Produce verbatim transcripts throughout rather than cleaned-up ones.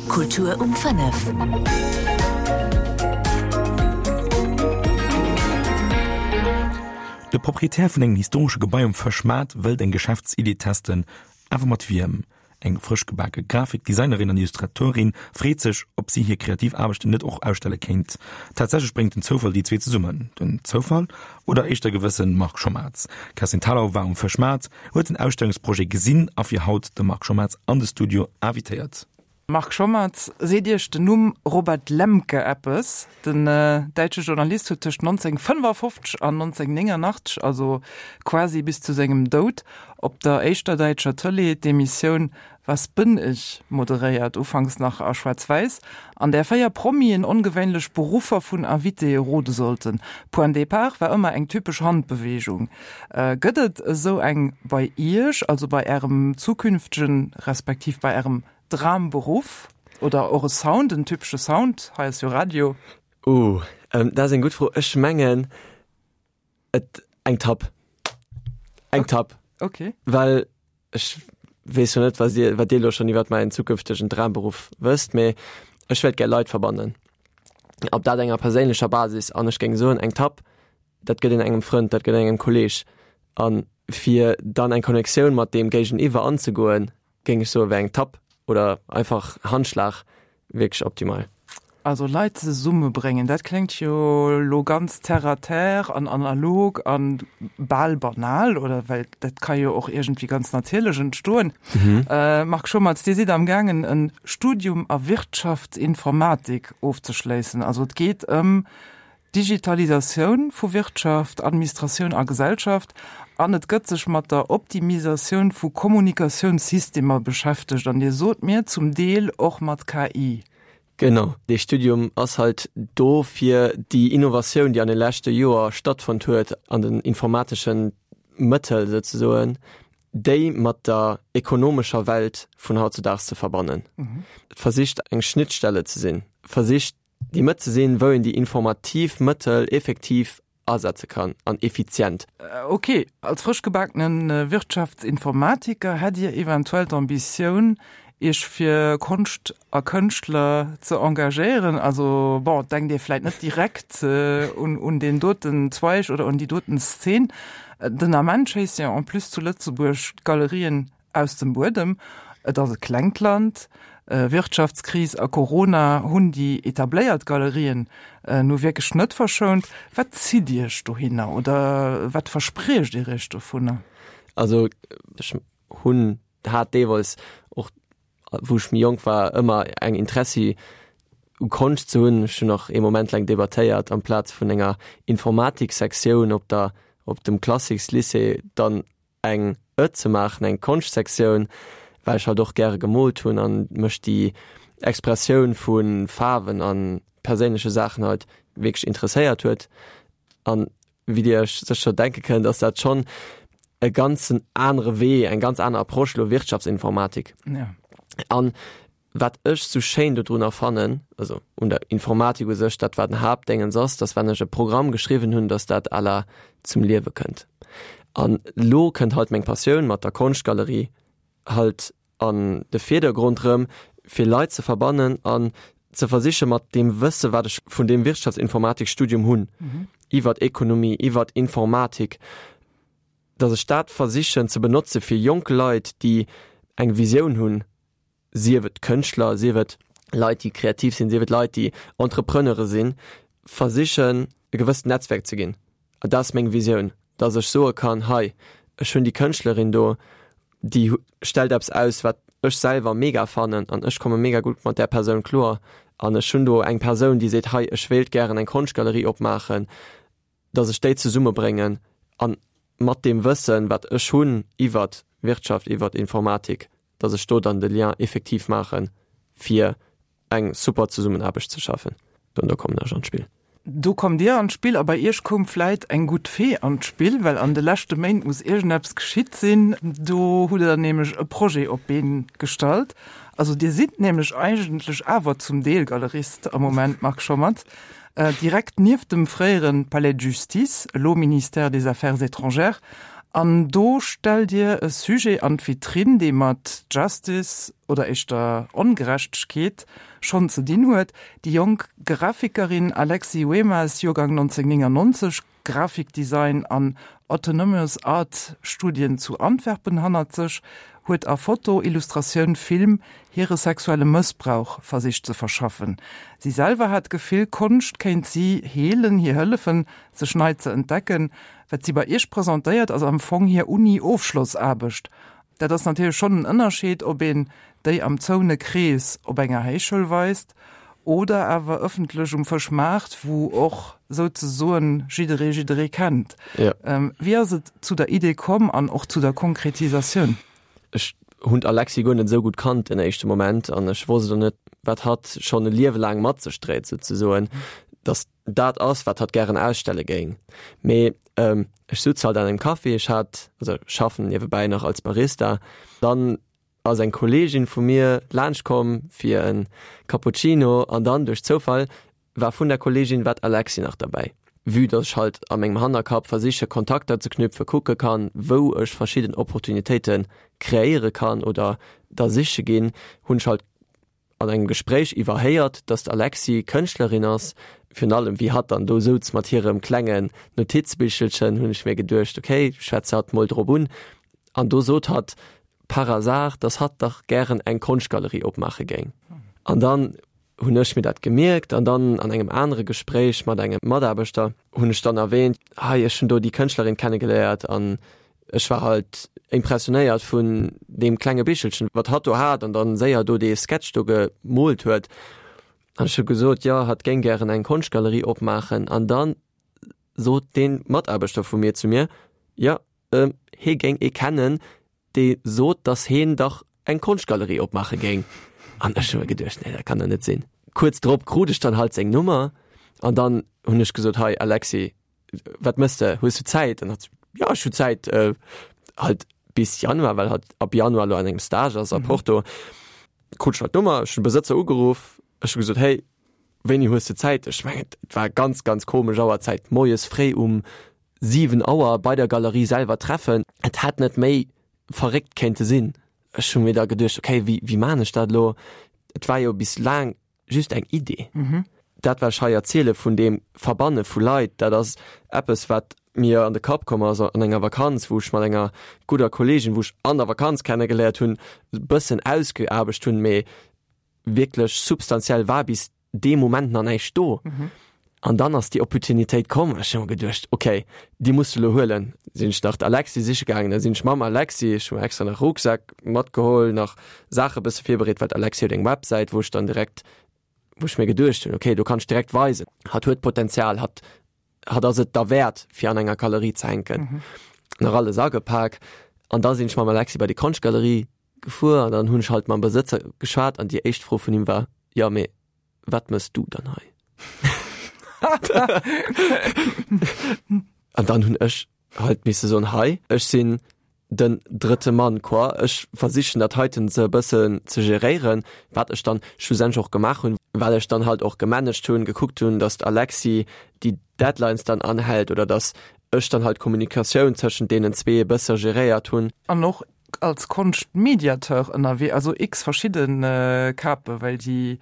Kultur um fënnef. De Proprietär vun engem historesche Gebai um Fëschmaart wëllt eng Geschäftsidee testen. Awer mat wiem? Eng frësch gebake Grafikdesignerin an Illustratorin freet sech, ob si hir kreativ Aarbechten net och ausstelle kéint. Tatsächlech bréngt den Zoufall déi zwee zesummen. Den Zoufall? Oder éischter gewëssen Marc Schommerz? D'Kerstin Thalau war um Fëschmaart, huet den Ausstellungsprojet gesinn a fir haut de Marc Schommerz an de Studio invitéiert. Marc Schommerz, seet Iech den Numm Robert Lemke eppes? Den däitsche Journalist huet tëscht nonzénhunnertfënnefafofzeg an nonzénhunnertnéngernachtzeg, also quasi bis zu sengem Doud, op der éischter däitscher Tëlee d'Emissioun Was bin ich? moderéiert, ufanks nach a Schwaarz-Wäiss, an där véier Promien ongewéinlech Beruffer vun Invitéë rode sollten. Point départ war ëmmer eng typesch Handbeweegung. Gëtt et esou eng bei Iech, also bei Ärem zukünftegen, respektiv bei Ärem Dramberuff? Oder och e Sound, en typesche Sound? Hei ass jo Radio. Uh, dat ass eng gutt Fro. Ech mengen et eng Tapp. Eng Tapp. Okay. Well ech weess jo net, wat Dir, wat Dir elo schonn iwwert mäin zukünftegen Dramberuff wësst, mee ech wéilt gär Leit verbannen. Op dat enger perséinlecher Basis. An ech géing soen, eng Tapp, dat gëtt een engem Frënd, dat gëtt een engem Kolleeg. A fir dann eng Connectioun mat deem Géigeniwwer anzegoen, géing ech soen, wär eng Tapp oder einfach Handschlag wierklech optimal. Also Leit zesummebréngen, dat kléngt jo elo ganz terre à terre an analog an bal banal, oder? Well dat ka jo och iergendwéi ganz natierlech entstoen. Marc Schommerz, Dir sidd am gaangen e Studium a Wirtschaftsinformatik ofzeschléissen. Also et geet ëm Digitalisatioun vu Wirtschaft, Administratioun a Gesellschaft an et gëtt sech mat der Optimisatioun vu Kommunikatiounssystemer beschäftegt an Dir sot mir, zum Deel och mat K I. Genau, dee Studium ass halt do fir déi Innovatioun, déi an de leschte Joer stattfonnt huet an den informatesche Mëttel souzesoen, déi mat der ekonomescher Welt vun hautzedaags ze verbannen. Et versicht eng Schnittstelle ze sinn, versicht déi Mëtt ze sinn, wou een déi informativ Mëttel effektiv asetze kann an effizient. Ok, als frëschgebakene Wirtschaftsinformatiker hätt Dir eventuell d'Ambitioun, Iech fir Konscht a Kënschtler ze engagéieren? Also bon, denkt Dir vläit net direkt un un deen doten Zweig oder un déi doten Szen. Den Ament schéisse jo en plus zu Lëtzebuerg d'Galerien aus dem Buedem. Et ass e klengt Land. Wirtschaftskris a Corona hunn déi etabléiert Galerien nu wierklech net verschount. Wat zitt Iech dohinner oder wat verspriecht Dir Iech dovunner? Also ech hunn, hat deelweis och wou ech méi jonk war, ëmmer eng Interessi u Konscht ze hunn. Ech hunn och ee Moment laang debattéiert, amplaz vun enger Informatiksektioun op der, op dem Classicslycée dann eng e ze maachen, eng Konschtsektioun, well ech halt och gäre gemoolt hunn an mech déi Expressioun vu Faarwen a perséinleche Saachen halt wierklech interesséiert huet. An wéi Dir Iech sécher denke kënnt, ass dat schonn e ganzen anere Wee, eng ganz aner Approche elo Wirtschaftsinformatik. Ja. An wat ech sou schéin dodrunner fannen, also un der Informatik u sech, dat wat den Haaptdéngens ass, dass wann ech e Programm geschriwwen hunn, dass dat à la zum Liewe kënnt. An elo kënnt halt meng Passioun mat der Konschtgalerie halt an de Virdergrond rëm, fir Leit ze verbannen an ze versiche mat deem Wësse wat ech vun deem Wirtschaftsinformatikstudium hunn, iwwert Ekonomie, iwwert Informatik, dass ech dat versichen ze benotze fir jonk Leit, déi eng Visioun hunn, sief et Kënschtler, sief et Leit, déi kreativ sinn, sief et Leit, déi Entrepreneure sinn, versichen e gewësst Netzwerk ze ginn. An dat ass meng Visioun, dass ech soe kann, hei, ech hunn déi Kënschtlerin do, déi stellt eppes aus, wat ech selwer mega fannen an ech komme mega gutt mat där Persoun kloer an ech hunn do eng Persoun, déi seet, hei, ech wéilt gären eng Konschtgalerie opmaachen, dass ech déi zesummebréngen an mat deem Wëssen, wat ech hunn iwwert Wirtschaft, iwwert Informatik, dass ech do dann de Lien effektiv maachen, fir eng super Zesummenaarbecht ze schafen. An do kommen ech an d'Spill. Do kommt Dir an d'Spill a bei Iech koum vläit eng gutt Fee an d'Spill, well an de leschte Méint muss iergendeppes geschitt sinn. Do hutt Der nämlech e Projet op d'Been gestallt. Also Dir sidd nämlech eigentlech awer zum Deel Galerist am Moment, Marc Schommerz. Direkt nieft dem fréiere Palais de Justice, elo Ministère des Affaires étrangères, An do stellt Dir e Sujet an d'Vitrinn, dee mat Justice oder éischter Ongerechtegkeet schonn ze dinn huet. Déi jonk Grafikerin Alexi Wemas, Joergang neunzehnhundertneunundneunzeg, Grafikdesign an Autonomous Art Studien zu Antwerpen hannert sech, huet a Foto, Illustratioun, Film hire sexuelle Mëssbrauch versicht ze verschaffen. Si selwer hat d'Gefill, Konscht kéint si heelen, hir hëllefen, sech nei ze entdecken. Wat si bei Iech presentéiert, ass am Fong hir Uni-Ofschlossaarbecht. Dat ass natierlech schonn en Ënnerscheed, ob een déi am zoune Krees op enger Héichschoul weist oder awer ëffentlech um Fëschmaart, wou och souzesoen jidderee jidderee kennt. Ja. Wéi ass et zu der Idee komm an och zu der Konkretisatioun? Ech hunn d'Alexi guer net esou gutt kannt den éischte Moment an ech wosst och net, wat hatt schonn e Liewe laang mat sech dréit souzesoen, dass dat ass, wat hatt gären ausstelle géing. Mee ech sutz halt an engem Café, ech hat, also schaffen niewebäi nach als Barista, dann ass eng Kolleegin vu mir laanscht komm fir e Cappuccino an dann duerch Zoufall war vun der Kolleegin war d'Alexi nach derbäi. Vue dass ech halt a mengem Hannerkapp versiche Kontakter ze knüpfen, kucke kann, wou ech verschidden Opportunitéite kreéiere kann oder der siche ginn, hunn ech halt an engem Gespréich iwwerhéiert, dass d'Alexi Kënschtlerin ass. Virun allem wéi hatt dann do souz mat hirem klengen Notizbichelchen, hunn ech mir geduecht, okay, schwätz hatt mol drop un. An do sot hatt par hasard, dass hatt dach gären eng Konschtgalerie opmaache géing. An dann hunn ech mir dat gemierkt an dann an engem anere Gespréich mat engem Mataarbechter hunn ech dann erwähnt, hei ech hunn do déi Kënschtlerin kennegeléiert an ech war halt impressionéiert vun deem klenge Bichelchen, wat hatt do hat an dann séier do dee Sketch do gemoolt huet. An ech hu gesot, jo, hatt géing gären eng Konschtgalerie opmaachen an dann sot dee Mataarbechter vu mir zu mir, jo, hee géing ee kennen, dee sot, datt heen dach eng Konschtgalerie opmaache géing. An ech hu mir geduecht, nee, dat kann der net sinn. Kuerz drop krut ech dann halt seng Nummer an dann hunn ech gesot, hei Alexi, wat mëss de, hues du Zäit? An hat, ja, ech hu Zäit, äh, halt bis Januar, well hat ab Januar lo an engem Stage ass a Porto. Krut ech halt d'Nummer, ech hunn de Besëtzer ugeruff, ech hu gesot, hey, wéini hues de Zäit? Ech mengen, et war ganz, ganz komesch Auerzäit, moies fréi um siwen Auer bei der Galerie selwer treffen. Et hätt net méi verréckt kéinte sinn. Ech hu mir da geduecht, okay, wéi, wéi maan ech dat elo? Et war jo bis laang just eng Idee. Dat, wat ech hei erziele vun deem Verbanne vu Leit, dat ass eppes, wat mir an de Kapp komm ass an enger Vakanz, wou ech mat enger gudder Kolleegin, wou ech an der Vakanz kennegeléiert hunn, e bëssen ausgeaarbecht hunn, mee wierklech substantiell war bis dee Moment nach näischt do. An dann ass déi Opportunitéit komm an ech hu mer geduecht, okay, déi muss de elo huelen. Sinn ech nach d'Alexi siche gaangen, da sinn ech mam Alexi, ech hu mer extra nach Rucksak matgeholl, nach Saache bësse virbereet, well d'Alexi huet eng Websäit, wou ech dann direkt, wou ech mir geduecht hunn, okay, do kann ech direkt weisen, hatt huet Potenzial, hatt, hatt ass et derwäert, fir an enger Galerie ze hänken. Nach alles agepak an da sinn ech mam Alexi bei déi Konschtgalerie gefuer an dann hunn ech halt mam Besëtzer geschwat an déi éischt Fro vun him war, jo, mee wat mëss du dann hei? An dann hunn ech halt misse soen, hei, ech sinn den drëtte Mann, quoi. Ech versichen dat heiten ze e bëssen ze geréieren, wat ech dann schlussendlech och gemaach hunn, well ech dann halt och gemanagt hunn, gekuckt hunn, datt d'Alexi déi Deadlines dann anhält oder datt ech dann halt d'Kommunikatioun tëschent deenen zwee e bësse geréiert hunn. An och als Konschtmediateur ënnerwee, also x verschidde Kape, well déi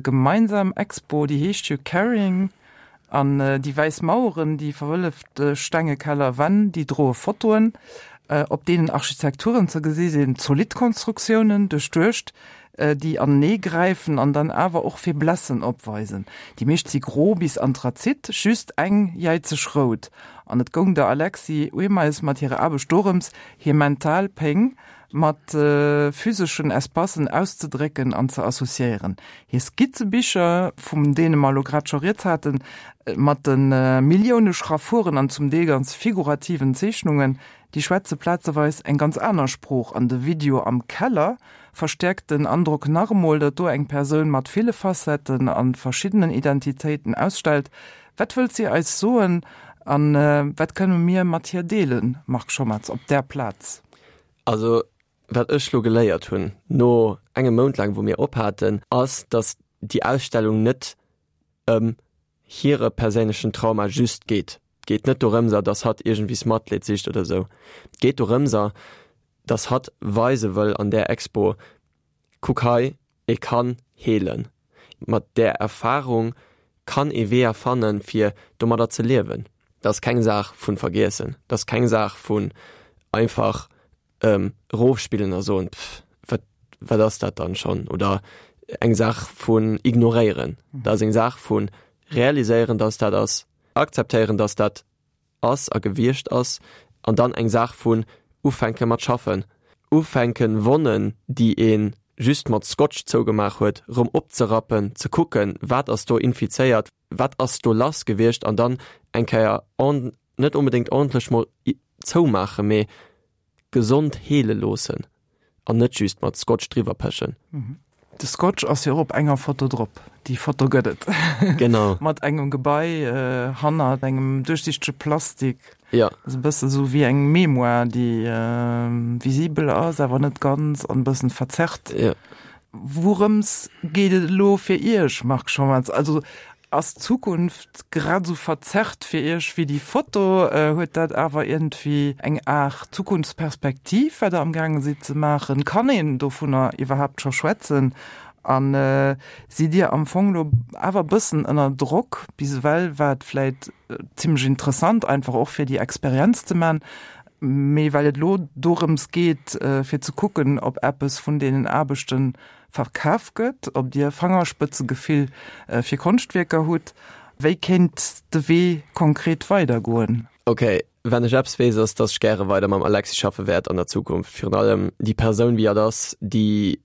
gemeinsam Expo, déi heescht jo Caring, an déi wäiss Maueren, déi verwëlleft stenge Kellerwänn, déi droe Fotoen, op deenen Architekturen ze gesi sinn, zolidd Konstruktiounen, duerchduecht, déi anenee gräifen an dann awer och Faiblesse opweisen. Déi meescht si gro bis anthrazit, just eng jäizeg rout. An et goung der Alexi Uemeis mat hirer Aarbecht dorëms, hir mental Péng mat physeschen Espacen auszedrécken an ze associéieren. Hir Skizzebicher, vun deene mer elo grad scho rieds haten, mat de Millioune Schraffuren an zum Deel ganz figurativen Zeechnungen, déi schwätze plazeweis eng ganz aner Sprooch. An de Video am Keller verstäerkt den Androck nach emol, datt do eng Persoun mat ville Facetten a verschiddenen Identitéiten ausstellt. Wat wëllt si eis soen a wat kënne mir mat hir deelen, Marc Schommerz, op där Plaz? Also wat ech lo geléiert hunn, no engem Mount laang wou mir ophaten, ass, datt déi Ausstellung net ëm hire perséinlechen Trauma just geet. Et geet net dorëmser, dass hatt iergendwies Matleed sicht oder sou. Et geet dorëmser, dass hatt weise wëll an där Expo, kuck hei, ee kann heelen. Mat där Erfarung kann ee Weeër fannen, fir domadder ze liewen. Dat ass keng Saach vu vergiessen, dat ass keng Saach vun einfach erofspillen a soen, pff, wat, wat ass dat dann schonn? Oder eng Saach vun ignoréieren. Dat ass eng Saach vu realiséieren, dass dat ass, akzeptéieren, dass dat ass a gewiescht ass, an dann eng Saach vun ufänke mat schaffen, ufänken, Wonnen, déi ee just mat Scotch zougemaach huet, rëm opzerappen, ze kucken, wat ass do infizéiert, wat ass do lass gewiescht, an dann eng Kéier net onbedéngt ordentlech mol zoumaachen, mee gesond heele loossen an net just mat Scotch driwwer pechen. De Scotch ass jo och op enger Foto drop. Déi Foto gëtt et. Genau. Mat engem Gebai hannert engem duerchsichtege Plastik. Ja. Ass e bësse sou wéi eng Mémoire, déi visibel ass, awer net ganz an e bëssen verzerrt. Ja. Wourëms geet et elo fir Iech, Marc Schommerz? Also ass d'Zukunft grad esou verzerrt fir Iech wéi déi Foto? Huet dat awer iergendwéi eng Aart Zukunftsperspektiv, wat Der amgaange sidd ze maachen? Kann een dovunner iwwerhaapt scho schwätzen? A sidd Dir am Fong elo awer e bëssen ënner Drock? Bis ewell war et vläit zimmlech interessant, einfach och fir déi Experienz ze man, mee well et elo dorëms geet, fir ze kucken, ob eppes vun deenen Aarbechte verkaf gëtt, ob Dir Fangerspëtzegefill fir Konschtwierker hutt. Wéi kéint de Wee konkret weidergoen? Ok, wenn ech eppes weess, ass, dass ech gäre weider mam Alexis schaffe wäert an der Zukunft. Virun allem déi Persoun, wéi hatt ass, déi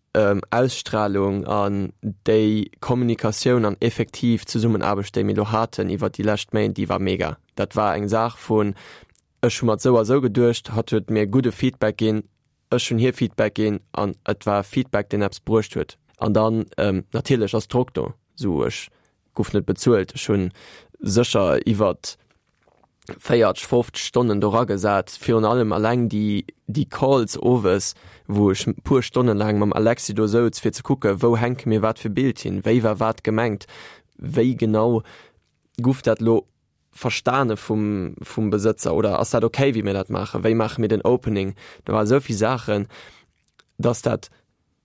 Ausstralung an déi Kommunikatioun an effektiv Zesummenaarbecht, déi mir elo haten iwwert déi lescht Méint, déi war mega. Dat war eng Saach vun, ech hu mer et sou a sou geduecht, hatt huet mir gudde Feedback ginn, ech hunn hir Feedback ginn an et war Feedback, deen eppes bruecht huet. An dann natierlech ass Drock do, sou ech guff net bezuelt, ech hu sécher iwwert véiertg, fofzeg Stonnen do ragesat, virun allem alleng déi déi Calls owes, wou ech puer Stonne laang mam Alexis do souz fir ze kucke wou hänke mir wat fir Bild hin, wéi war wat gemengt, wéi genau guff dat lo verstane vum, vum Besëtzer oder ass dat okay, wéi mir dat maachen, wéi maache mir den Opening. Do ware sou vill Saachen, dass dat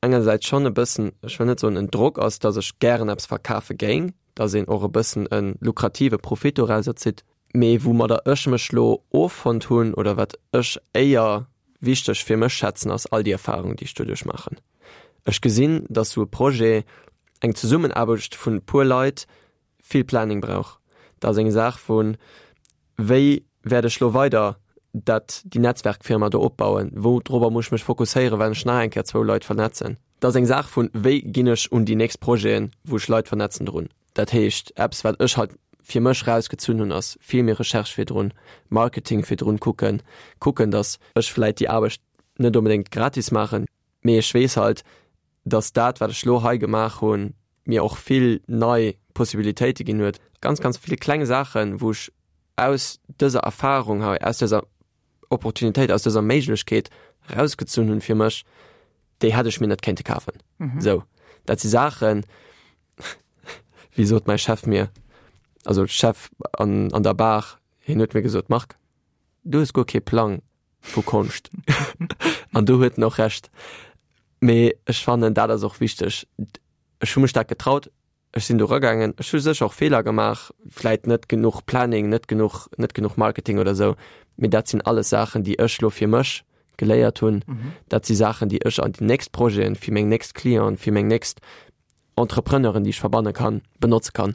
engersäits schonn e bëssen, ech wëll net soen en Drock ass, dass ech gären eppes verkafe géing, dass een och e bëssen e lukrative Profit dorauser zitt, mee woumadder ech mech lo offonnt hunn oder wat ech éier wichteg fir mech schätzen, ass all déi Erfahrung, déi ech doduerch maachen. Ech gesinn, dass sou e Projet, eng Zesummenaarbecht vun e puer Leit, vill Planning brauch. Dat ass eng Saach vun, wéi wäert ech lo weider dat, déi Netzwerkfirma do opbauen, wou drobber muss ech mech fokusséieren, well ech nach eng Kéier zwou Leit vernetzen. Dat ass eng Saach vun, wéi ginn ech un déi nächst Projeten, wou ech Leit vernetzen, drun. Dat heescht, eppes wat ech halt fir mech rausgezunn hunn, ass vill méi Recherche virdrun, Marketing virdrun kucken, kucken, datt ech vläit déi Aarbecht net onbedéngt gratis maachen, mee ech weess halt, datt dat wat ech lo hei gemaach hunn, mir och vill nei Possibilitéite ginn huet. Ganz, ganz vill kleng Saachen, wou ech aus dëser Erfahrung hei, aus dëser Opportunitéit, aus dëser Méiglechkeet rausgezunn hunn fir mech, déi hätt ech mir net kéinte kafen. Sou, dat si Saachen, wéi sot mäi Chef mir, also Chef an, an der Bar, hien huet mir gesot, Marc, du hues guer kee Plang vu Konscht. An do huet en och Recht. Mee ech fannen, dat ass och wichteg. Ech hu mech dat getraut, ech sinn do eragaangen, ech hu sécher och Feeler gemaach, vläit net genuch Planning, net genuch, net genuch Marketing oder esou, mee dat sinn alles Saachen, déi ech elo fir mech geléiert hunn. Dat si Saachen, déi ech an déi nächst Projeten, fir meng nächst Clienten, fir meng nächst Entrepreneuren, déi ech verbanne kann, benotze kann.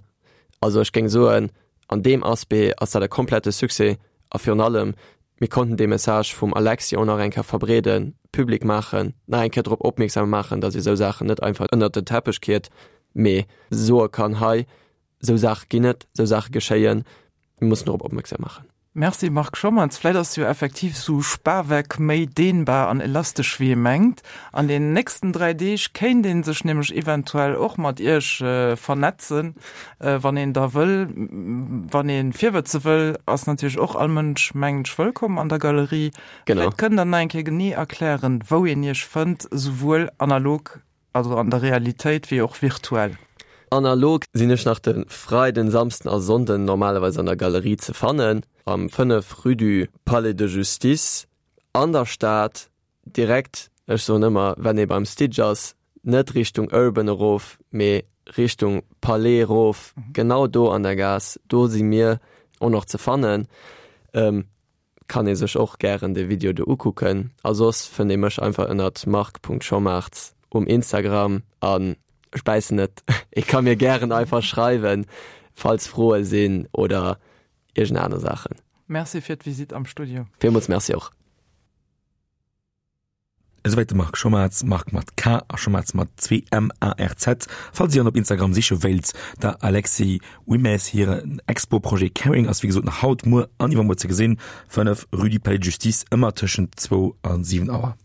Also ech géing soen, an deem Aspect ass dat e komplette Succès a virun allem, mir konnten dee Message vum Alexi och nach eng Kéier verbreeden, public maachen, nach eng Kéier drop opmierksam maachen, datt ee sou Saachen net einfach ënnert den Teppech kiert, mee soe kann, hei, sou Saache ginn et, sou Saache geschéien, mir mussen dorop opmierksam maachen. Merci Marc Schommerz. Vläit ass jo effektiv sou Spaweck méi dehnbar an elastesch wéi ee mengt. An den nächsten dräi Deeg kéint ee sech nämlech eventuell och mat iech vernetzen, wann een da wëll. Wann ee virwëtze wëll, ass natierlech och all Mënsch, mengen ech, wëllkomm an der Galerie. Genau. Vläit kënnt der nach eng Kéier genee erklären, wou een iech fënnt, souwuel analog, also an der Realitéit, wéi och virtuell. Analog sinn ech nach de Freiden, Samsden a Sonnden normalerweis an der Galerie ze fannen, am fënnef Rue du Palais de Justice an der Stad, direkt, ech soen ëmmer, wenn ee beim Stitch ass, net Richtung Urban erof, mee Richtung Palais erof, genau do an der Gaass, do si mir och nach ze fannen. Kann ee sech och gären de Video do ukucken. A soss fënnt ee mech einfach ënnert marc.schommartz um Instagram an ech bäissen net, ee ka mir gären einfach schreiwen, falls Froe sinn oder iergend aner Saachen. Merci fir d'Visitt am Studio. Villmools Merci och. Esouwäit de Marc Schommarz, Marc mat K a Schommarz mat zwee M A R Z. Falls Dir en op Instagram siche wéilt, der Alexis Wimez hiren Expo-Projet Caring ass wéi gesot nach haut, muer an iwwermuer ze gesinn, fënnef, Rue du Palais de Justice, ëmmer tëschent zwou a siwen Auer.